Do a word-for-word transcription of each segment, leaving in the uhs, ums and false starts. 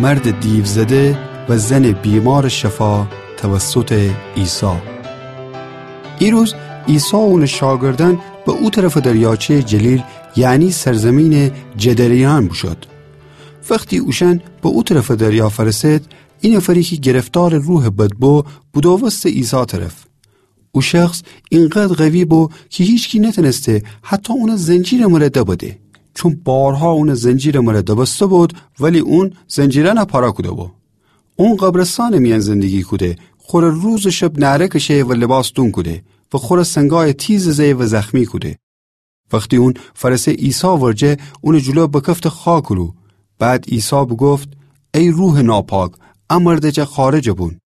مرد دیوزده و زن بیمار شفا توسط عیسی. ایروز عیسی و اون شاگردان به او طرف دریاچه جلیل، یعنی سرزمین جدریان بوشد. وختی اوشان به او طرف دریا فرسد، ای نفری کی گرفتار روح بد بو، بودووسته عیسی طرف. او شخص اینقدر قوی بو کی هیچکی نتنسته حتی اون زنجیر مره دبده. چون بارها اون زنجیر مره دبسته بود، ولی اون زنجیرانه پاره کوده بو. اون قبرستان میان زندگی کوده، خوره روز و شب نعره کشه و لباس دون کوده و خوره سنگای تیز زه و زخمی کوده. وختی اون فرسه عیسی ورجه، اون جلو بکفته خاکرو. بعد عیسی بوگفت: ای روح ناپاک، ا مرد جا خارج بون.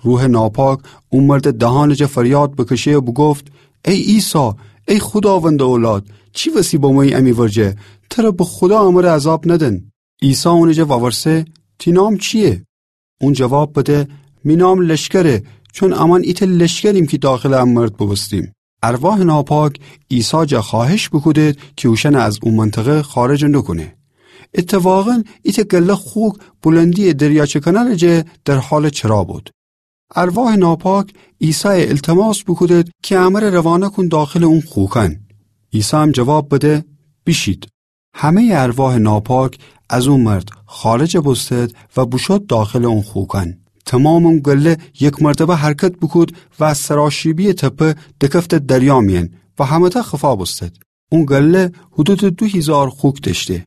روح ناپاک او مرد دهان جا فریاد بکشه و بوگفت: ای عیسی، ای خوداوند اولاد، چی وسی بمویی امی ورجه؟ تره به خودا امره عذاب ندن. عیسی اون جا وورسه: تی نام چیه؟ اون جواب بده: می نام لشکره، چون امان ایته لشکریم کی داخل ا مرد بوبوستیم. ارواح ناپاک عیسی جا خواهش بوکودد کی اوشان از او منطقه خارج نوکونه. اتفاقاً ایته گله خوک بلندی دریاچه کنار جا در حال چرا بود. ارواح ناپاک عیسی التماس بوکودد کی امره روانه کون داخل اون خوکان. عیسی هم جواب بده: بیشید. همهٔ ارواح ناپاک از او مرد خارج بوستد و بوشد داخل اون خوکان. تمام اون گله یک مرتبه حرکت بوکود و از سراشیبی تپه دکفته دریا میان و همه‌تا خفا بوستد. اون گله حدود دو هیزار خوک دشته.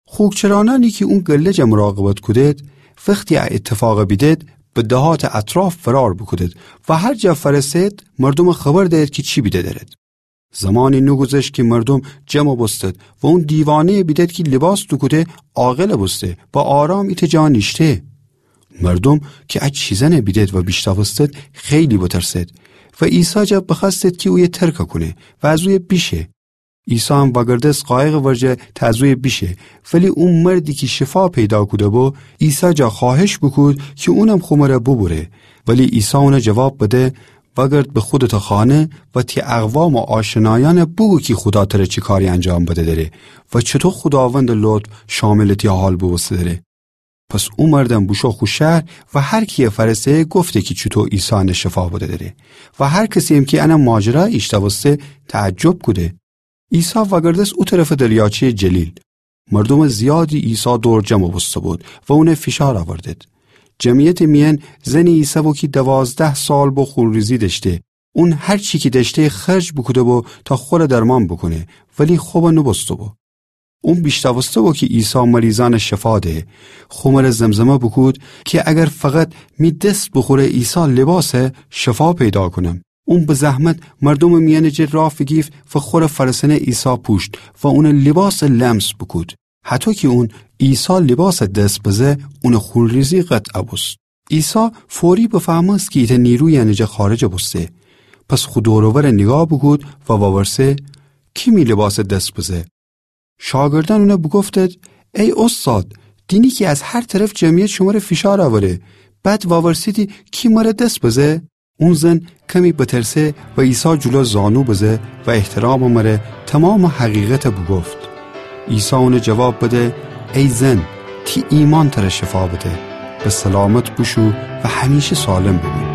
خوکچرانانی کی اون گله جا مراقبت کودد، وختی ا اتفاق بیدد، به دهات اطراف فرار بوکودد و هر جا فرسد، مردوم خبر دهد کی چی بیده درد. زمانی نوگوذشت کی مردوم جمع بوستد و اون دیوانه بیدد کی لباس دوکوده عاقل بوسته و آرام ایته جا نیشته. مردوم کی ا چیزانه بیدد و بیشتاوستد، خیلی بترسد و عیسی جا بخوأستد کی اویه ترک کونه و از اویه بیشه. عیسی هم وأگردست قایق ورجه تا از اویه بیشه، ولی او مردی کی شفا پیدا کوده بو، عیسی جا خواهش بوکود کی اونم خو مره بوبوره. ولی عیسی اونه جواب بده: وأگرد به خودتٚ خانه و تی اقوام و آشنایأن بوگو کی خودا تره چی کاری انجام بده دره و چوطو خوداوندٚ لطف شاملٚ تی حال بوبوسته دره. پس او مردم بوشو خو شهر و هر کییه فأرسه گفته کی چوطو عیسی انه شفا بده دره و هر کسییم کی انه ماجرا ایشتاوسته تعجب کوده. عیسی وأگردست او طرفٚ دریاچه‌یٚ جلیل. مردومٚ زیادی عیسی دور جمع بوسته بود و اونه فیشار اوردد. جمعیتٚ میأن زنی ایسه بو کی دوازده سال بو خونریزی دأشته. اون هر چی کی دأشته خرج بوکوده بو تا خوره درمان بوکونه، ولی خوب نوبوسته بو. اون بیشتاوسته بو کی عیسی مریضأن شفا ده. خو مره زمزمه بوکود کی اگر فقط می دس بوخوره عیسی لباسه، شفا پیدا کونم. اون به زحمت مردومٚ میأنٚ جٚه راه فیگیفت و خوره فأرسأنه عیسی پوشت و اونٚ لباسه لمس بوکود. هطو کی اون عیسی لباسه دس بزه، اونٚ خونریزی قطع بوست. عیسی فوری بفهمست کی ایتأ نیرویی انٚ جٚه خارج بوسته. پس خو دور و ور نیگاه بوکود و وأورسه: کی می لباسه دس بزه؟ شاگردأن اونه بوگفتد: ای اوستاد، دینی کی از هر طرف جمعیت شمره فیشار اوره، بعد وأورسیدی کی مره دس بزه؟ اون زن کمی بترسه و عیسی جلو زانو بزه و احترامٚ مره تومامٚ حقیقته بوگفت. عیسی اونه جواب بده: ای زن، تی ایمأن تره شفا بده. به سلامت بوشو و همیشه سالم بمون.